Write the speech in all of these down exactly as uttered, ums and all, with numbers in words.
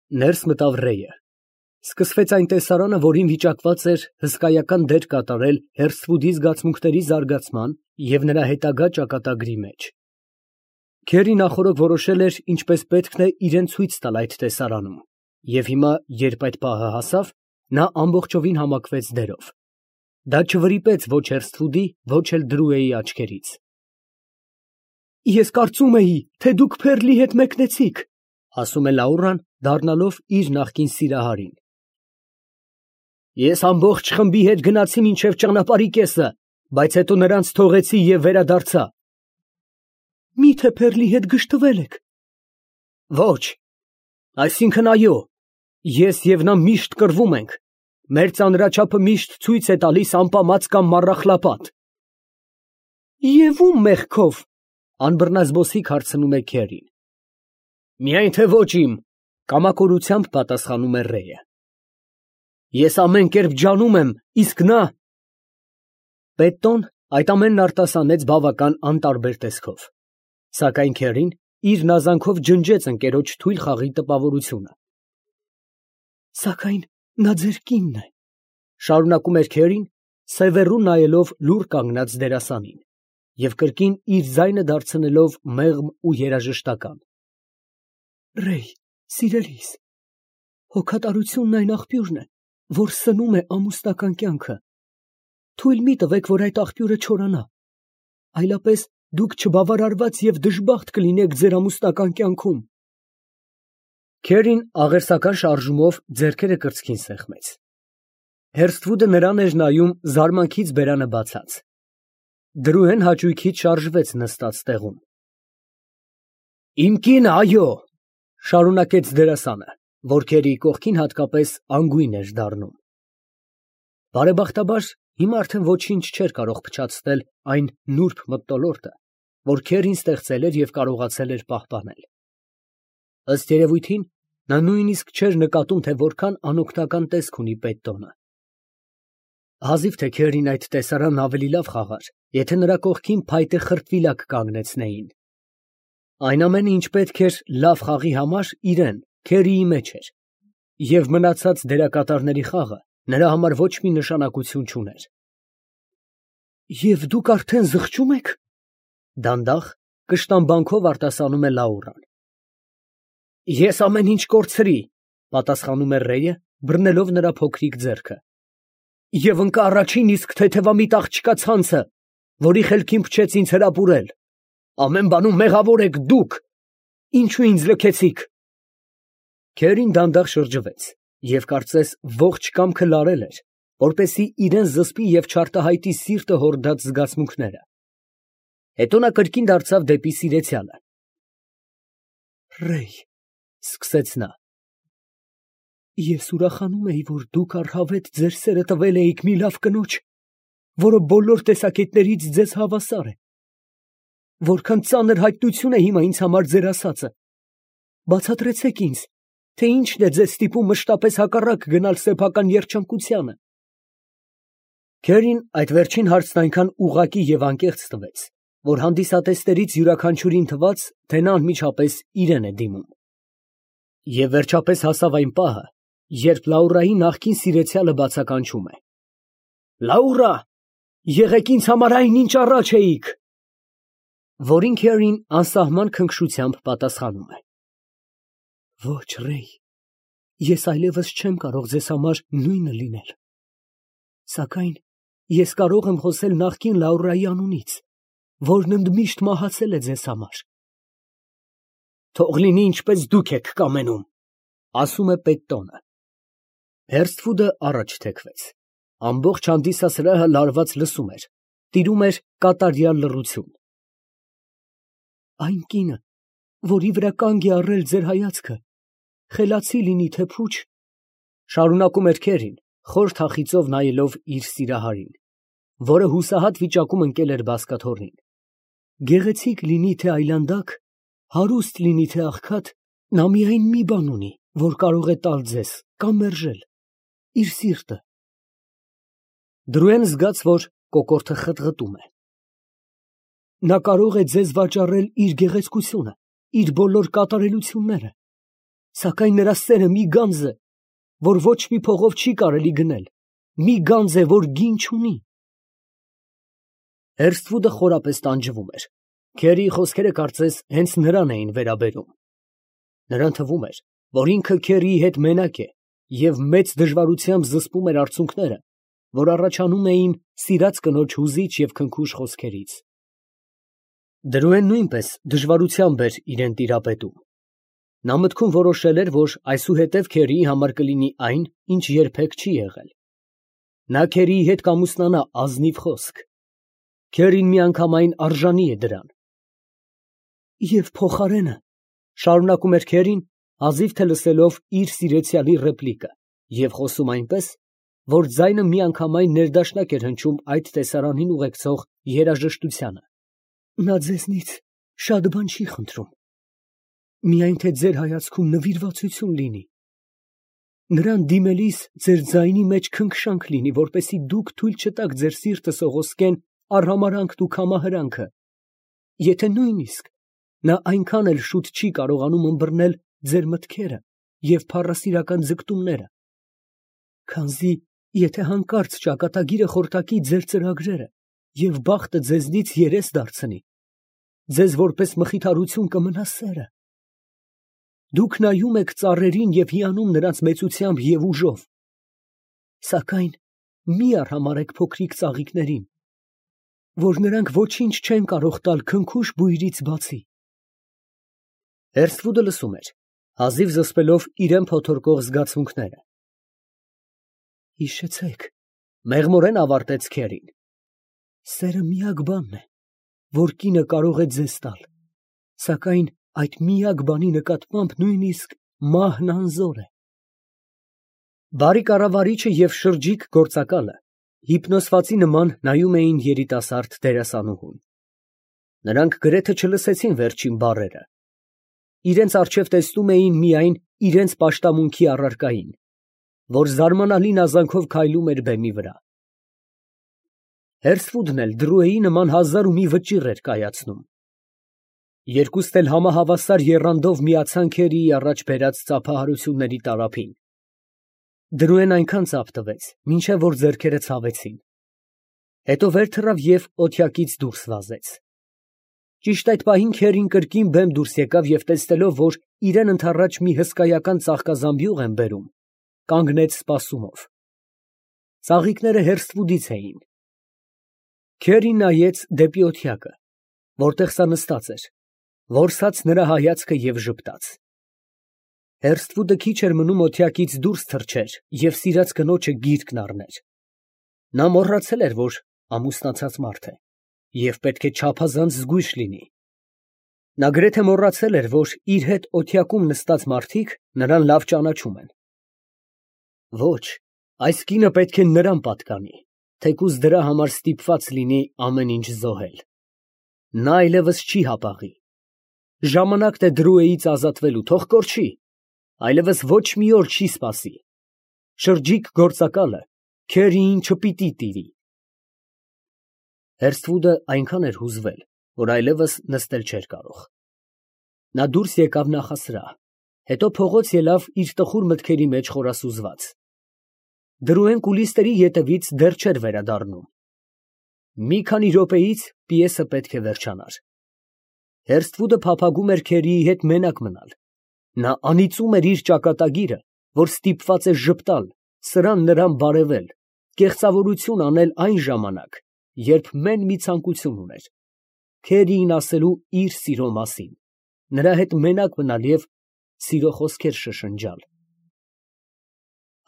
Ներս մտավ Ռեյը։ Սկսվեց այն տեսարանը, որին վիճակված էր հսկայական դեր կատարել Հերսթվուդի զգացմունքների զարգացման և նրա հետագա ճակատագրի մեջ։ Քերրի նախօրոք որոշել էր ինչպես պետք է իրան ցույց տալ այդ տեսարանում, և հիմա, երբ այդ պահը հասավ, նա ամբողջովին համակվեց դերով։ Դա չվրիպեց ոչ Հերսթվուդի, ոչ էլ Դրուեի աչքերից։ Ես կարծում էի, թե դուք Փեռլի հետ մեկնեցիք, ասում է Լաուրան, դառնալով իր նախկին սիրահարին։ Ես ամբողջ խմբի հետ գնացի մինչև ճանապարհի կեսը, բայց հետո նրանց թողեցի և վերադարձա։ Մի՞թե Փեռլի հետ գժտվել եք։ Ոչ, այսինքն՝ այո, ես և նա միշտ կռվում ենք, մեր ծանրաչափը միշտ ցույց է տալիս ամպամած կամ մառախլապատ։ Եվ ո՞ւմ մեղքով, անբռնազբոսիկ հարցնում է Քերրին։ Միայն թե ոչ իմ, կամակորությամբ պատասխանում է Ռեյը։ Ես ամեն կերպ ջանում եմ, իսկ նա… Պետոն այդ ամենն արտասանեց բավական անտարբեր տեսքով, սակայն Քերրին իր նազանքով ջնջեց ընկերոջ թույլ խաղի տպավորությունը։ Սակայն նա ձեր կինն է, շարունակում էր Քերրին, սևեռուն նայելով լուռ կանգնած դերասանին և կրկին իր ձայնը դարձնելով մեղմ ու երաժշտական։ Ռեյ, սիրելիս, հոգատարությունն այն աղբյուրն է, որ սնում է ամուսնական կյանքը։ Թույլ մի տվեք, որ այդ աղբյուրը չորանա, այլապես դուք չբավարարված և դժբախտ կլինեք ձեր ամուսնական կյանքում։ Քերրին աղերսական շարժումով ձեռքերը կրծքին սեղմեց։ Հերսթվուդը նրան էր նայում զարմանքից բերանը բացած։ Դրուեն հաճույքից շարժվեց նստած տեղում։ Իմ կինը, այո, շարունակեց դերասանը, որ Քերրիի կողքին հատկապես անգույն էր դառնում։ Բարեբախտաբար, հիմա արդեն ոչինչ չէր կարող փչացնել այն նուրբ մթնոլորտը, որ Քերրին ստեղծել էր և կարողացել էր պահպանել։ Ըստ երևույթին, նա նույնիսկ չէր նկատում, թե որքան անօգնական տեսք ունի Պետոնը։ Հազիվ թե Քերրին այդ տեսարանն ավելի լավ խաղար, եթե նրա կողքին փայտե խրտվիլակ կանգնեցնեին։ Այն ամենը, ինչ պետք էր լավ խաղի համար, իրան, Քերրիի մեջ էր, և մնացած դերակատարների խաղը նրա համար ոչ մի նշանակություն չուներ։ Եվ դուք արդեն զղջո՞ւմ եք, դանդաղ, կշտամբանքով արտասանում է Լաուրան։ Ես ամեն ինչ կորցրի, պատասխանում է Ռեյը, բռնելով նրա փոքրիկ ձեռքը, և ընկա առաջին իսկ թեթևամիտ աղջկա ցանցը, որի խելքին փչեց ինձ հրապուրել։ Ամեն բանում մեղավոր եք դուք, ինչու ինձ լքեցիք։ Քերրին դանդաղ շրջվեց և կարծես ողջ կամքը լարել էր, որպեսզի իրան զսպի և չարտահայտի սիրտը հորդած զգացմունքները։ Հետո նա կրկին դարձավ դեպի սիրեցյալը։ Ռեյ, սկսեց նա, ես ուրախանում էի, որ դուք առհավետ ձեր սերը տվել էիք մի լավ կնոջ, որը բոլոր տեսակետներից ձեզ հավասար է։ Որքան ծանր հայտնություն է հիմա ինձ համար ձեր ասածը։ Բացատրեցեք ինձ, թե ինչն է ձեզ ստիպում մշտապես հակառակ գնալ սեփական երջանկությանը։ Քերրին այդ վերջին հարցն այնքան ուղղակի և անկեղծ տվեց, որ հանդիսատեսներից յուրաքանչյուրին թվաց, թե նա անմիջապես իրան է դիմում։ Եվ վերջապես հասավ այն պահը, երբ Լաուրայի նախկին սիրեցյալը բացականչում է. Լաուրա, եղեք ինձ համար այն, ինչ առաջ էիք։ Որին Քերրին անսահման քնքշությամբ պատասխանում է. Ոչ, Ռեյ, ես այլևս չեմ կարող ձեզ համար նույնը լինել, սակայն ես կարող եմ խոսել նախկին Լաուրայի անունից, որն ընդմիշտ մահացել է ձեզ համար։ Թող լինի ինչպես դուք եք կամենում, ասում է Պետոնը։ Հերսթվուդը առաջ թեքվեց։ Ամբողջ հանդիսասրահը լարված լսում էր, տիրում էր կատարյալ լռություն։ Այն կինը, որի վրա կանգ է առել ձեր հայացքը, խելացի լինի, թե փուչ, շարունակում էր Քերրին, խոր թախիծով նայելով իր սիրահարին, որը հուսահատ վիճակում ընկել էր բազկաթոռին։ Գեղեցիկ լինի, թե այլանդակ, հարուստ լինի, թե աղքատ, նա միայն մի բան ունի, որ կարող է տալ ձեզ կամ մերժել, իր սիրտը։ Դրուեն զգաց, որ կոկորդը խտղտում է։ Նա կարող է ձեզ վաճառել իր գեղեցկությունը, իր բոլոր կատարելությունները, Սակայն նրա սերը մի գանձ է, որ ոչ մի փողով չի կարելի գնել, մի գանձ է, որ գին չունի։ Հերսթվուդը խորապես տանջվում էր։ Քերիի խոսքերը կարծես հենց նրան էին վերաբերում։ Նրան թվում էր, որ ինքը Քերիի հետ մենակ է և մեծ դժվարությամբ զսպում էր արցունքները, որ առաջանում էին սիրած կնոջ հուզիչ և քնքուշ խոսքերից։ Դրուեն նույնպես դժվարությամբ էր իրան տիրապետում։ Նա մտքում որոշել էր, որ այսուհետև Քերիի համար կլինի այն, ինչ երբեք չի եղել։ Նա Քերիի հետ կամուսնանա ազնիվ խոսք։ Քերին միանգամայն արժանի է դրան։ Եվ փոխարենը, շարունակում էր Քերին, հազիվ թե լսելով իր սիրեցյալի ռեպլիկը և խոսում այնպես, որ ձայնը միանգամայն ներդաշնակ էր հնչում այդ տեսարանին ուղեկցող երաժշտությանը։ Նա ձեզնից շատ բան չի խնդրում, միայն թե ձեր հայացքում նվիրվածություն լինի։ Նրան դիմելիս ձեր ձայնի մեջ քնքշանք լինի, որպեսզի դուք թույլ չտաք ձեր սիրտը սողոսկեն արհամարհանքն ու քամահրանքը, եթե նույնիսկ նա այնքան էլ շուտ չի կարողանում ըմբռնել ձեր մտքերը և փառասիրական ձգտումները, քանզի եթե հանկարծ ճակատագիրը խորտակի ձեր ծրագրերը և բախտը ձեզնից երես դարձնի, ձեզ որպես մխիթարություն կմնա սերը։ Դուք նայում եք ծառերին և հիանում նրանց մեծությամբ և ուժով, սակայն մի արհամարհեք փոքրիկ ծաղիկներին, որ նրանք ոչինչ չեն կարող տալ քնքուշ բույրից բացի։ Հերսթվուդը լսում էր, հազիվ զսպելով իրան փոթորկող զգացմունքները։ Հիշեցեք, մեղմորեն ավարտեց Քերին, սերը միակ բանն է, որ կինը կարող է ձեզ տալ, սակայն այդ միակ բանի նկատմամբ նույնիսկ մահն անզոր է։ Բարի կառավարիչը և շրջիկ գործակալը հիպնոսվածի նման նայում էին երիտասարդ դերասանուհուն։ Նրանք գրեթե չլսեցին վերջին բառերը։ Իրենց առջև տեսնում էին միայն իրենց պաշտամունքի առարկային, որ զարմանալի նազանքով քայլում էր բեմի վրա։ Հերսթվուդն էլ դրոյի նման հազար ու մի վճիռ էր կայացնում։ Երկուստ էլ համահավասար եռանդով միացան Քերիի առաջ բերած ծափահարությունների տարափին։ Դրոյեն այնքան ծափ տվեց, մինչև որ ձեռքերը ցավեցին։ Հետո վեր թռավ և օթյակից դուրս վազեց։ Ճիշտ այդ պահին Քերին կրկին բեմ դուրս եկավ և տեսնելով, որ իրան ընդառաջ մի հսկայական ծաղկազամբյուղ են բերում, կանգնեց սպասումով։ Ծաղիկները Հերսթվուդից էին։ Քերին նայեց դեպի օթյակը, որտեղ սա նստած էր, որսաց նրա հայացքը և ժպտաց։ Հերսթվուդը քիչ էր մնում օթյակից դուրս թռչեր և սիրած կնոջը գիրկն առներ։ Նա մոռացել էր, որ ամուսնացած մարդ է և պետք է չափազանց զգույշ լինի։ Նա գրեթե մոռացել էր, որ իր հետ օթյակում նստած մարդիկ նրան լավ ճանաչում են։ Ոչ, այս կինը պետք է նրան պատկանի, թեկուզ դրա համար ստիպված լինի ամեն ինչ զոհել։ Նա այլևս չի հապաղի։ Ժամանակն է Դրուեից ազատվելու, թող կորչի, այլևս ոչ մի օր չի սպասի։ Շրջիկ գործակալը Քերիին չպիտի տիրի։ Հերսթվուդը այնքան էր հուզվել, որ այլևս նստել չէր կարող։ Նա դուրս եկավ նախասրահ, հետո փողոց ելավ իր տխուր մտքերի մեջ խորասուզված։ Դրուեն կուլիսների ետևից դեռ չէր վերադառնում։ Մի քանի րոպեից պիեսը պետք է վերջանար։ Հերսթվուդը փափագում էր Քերիի հետ մենակ մնալ։ Նա անիծում էր իր ճակատագիրը, որ ստիպված է ժպտալ, սրան նրան բարևել, կեղծավորություն անել այն ժամանակ, երբ մեն մի ցանկություն ուներ՝ Քերիին ասելու իր սիրո մասին, նրա հետ մենակ մնալ և սիրո խոսքեր շշնջալ։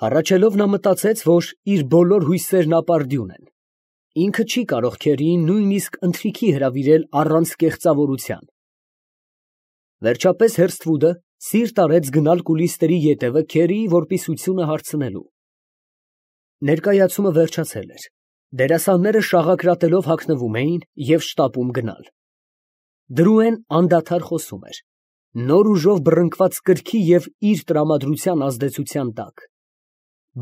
Հառաչելով նա մտածեց, որ իր բոլոր հույսերն ապարդյուն են։ Ինքը չի կարող Քերիին նույնիսկ ընթրիքի հրավիրել առանց կեղծավորության։ Վերջապես Հերսթվուդը սիրտ արեց գնալ կուլիսների ետևը Քերիի որպիսությունը հարցնելու։ Ներկայացումը վերջացել էր։ Դերասանները շաղակրատելով հագնվում էին և շտապում գնալ։ Դրուեն անդադար խոսում էր, նոր ուժով բռնկված կրքի և իր տրամադրության ազդեցության տակ։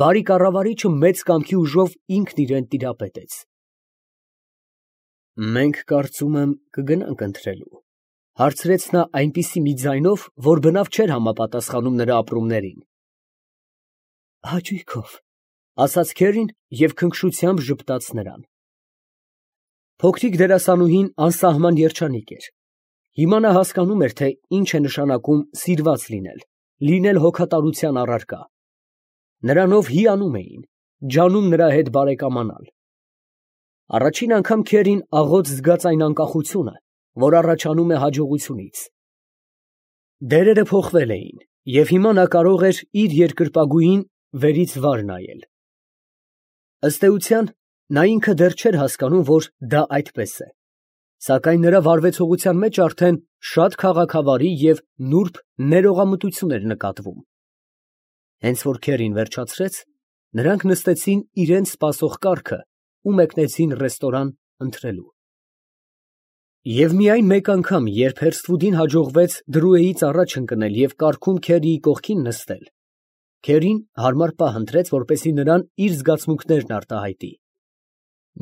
Բարի կառավարիչը մեծ կամքի ուժով ինքն իրան տիրապետեց։ Մենք կարծում եմ կգնանք ընթրելու, Հարցրեց նա այնպիսի մի ձայնով, որ բնավ չէր համապատասխանում նրա ապրումներին։ Հաճույքով, ասաց Քերին և քնքշությամբ ժպտաց նրան։ Փոքրիկ դերասանուհին անսահման երջանիկ էր։ Հիմա նա հասկանում էր, թե ինչ է նշանակում սիրված լինել, լինել հոգատարության առարկա։ Նրանով հիանում էին, ջանում նրա հետ բարեկամանալ։ Առաջին անգամ Քերին աղոտ զգաց այն անկախությունը, որ առաջանում է հաջողությունից։ Դերերը փոխվել էին, և հիմա նա կարող էր իր երկրպագուին վերից վար նայել։ Ըստ էության, նա ինքը դեռ չէր հասկանում, որ դա այդպես է, սակայն նրա վարվեցողության մեջ արդեն շատ քաղաքավարի և նուրբ ներողամտություն էր նկատվում։ Հենց որ Քերին վերջացրեց, նրանք նստեցին իրենց սպասող կառքը ու մեկնեցին ռեստորան ընթրելու։ Եվ միայն մեկ անգամ, երբ Հերսթվուդին հաջողվեց Դրուեից առաջ ընկնել և կառքում Քերիի կողքին նստել, Քերին հարմար պահ ընտրեց, որպեսզի նրան իր զգացմունքներն արտահայտի։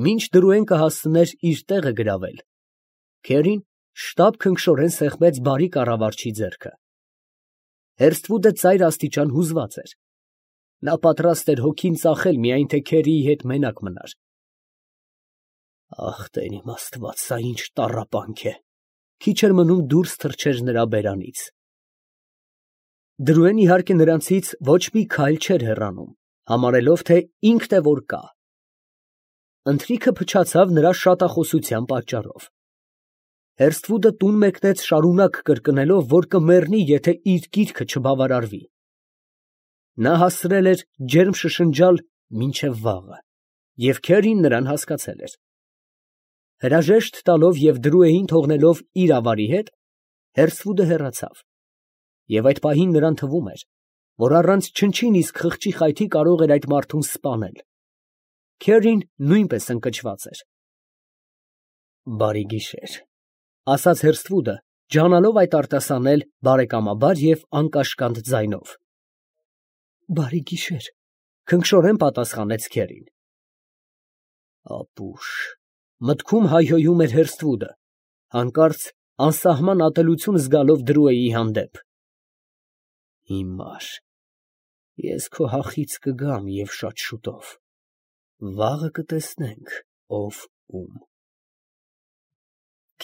Մինչ Դրուեն կհասցներ իր տեղը գրավել, Քերին շտապ քնքշորեն սեղմեց բարի կառավարչի ձեռքը։ Հերսթվուդը ծայր աստիճան հուզված էր։ Նա պատրաստ էր հոգին ծախել, միայն թե Քերիի հետ մենակ մնար։ Ախ, Տեր իմ Աստված, սա ինչ տառապանք է։ Քիչ էր մնում դուրս թռչեր նրա բերանից։ Դրուեն, իհարկե, նրանցից ոչ մի քայլ չէր հեռանում, համարելով, թե ինքն է որ կա։ Ընթրիքը փչացավ նրա շատախոսության պատճառով։ Հերսթվուդը տուն մեկնեց շարունակ կրկնելով, որ կմեռնի, եթե իր գիրքը չբավարարվի։ Նա հասցրել էր ջերմ շշնջալ մինչև վաղը, և Քերին նրան հասկացել էր։ Հրաժեշտ տալով և Դրուեին թողնելով իր ավարի հետ, Հերսթվուդը հեռացավ, և այդ պահին նրան թվում էր, որ առանց չնչին իսկ խղճի խայթի կարող էր այդ մարդուն սպանել։ Քերին նույնպես ընկճված էր։ Բարի գիշեր, ասաց Հերսթվուդը, ջանալով այդ արտասանել բարեկամաբար և անկաշկանդ ձայնով։ Բարի գիշեր, քնքշորեն պատասխանեց Քերին։ Ապուշ, մտքում հայհոյում էր Հերսթվուդը, հանկարծ անսահման ատելություն զգալով Դրուեի հանդեպ։ Հիմար, ես քո հախից կգամ և շատ շուտով, վաղը կտեսնենք, ով ում։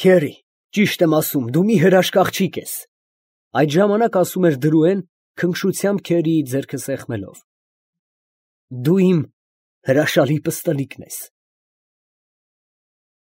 Քերի, ճիշտ եմ ասում, դու մի հրաշք աղջիկ ես, այդ ժամանակ ասում էր Դրուեն, քնքշությամբ Քերիի ձեռքը սեղմելով։ Դու իմ հրաշալի պստլիկն ես։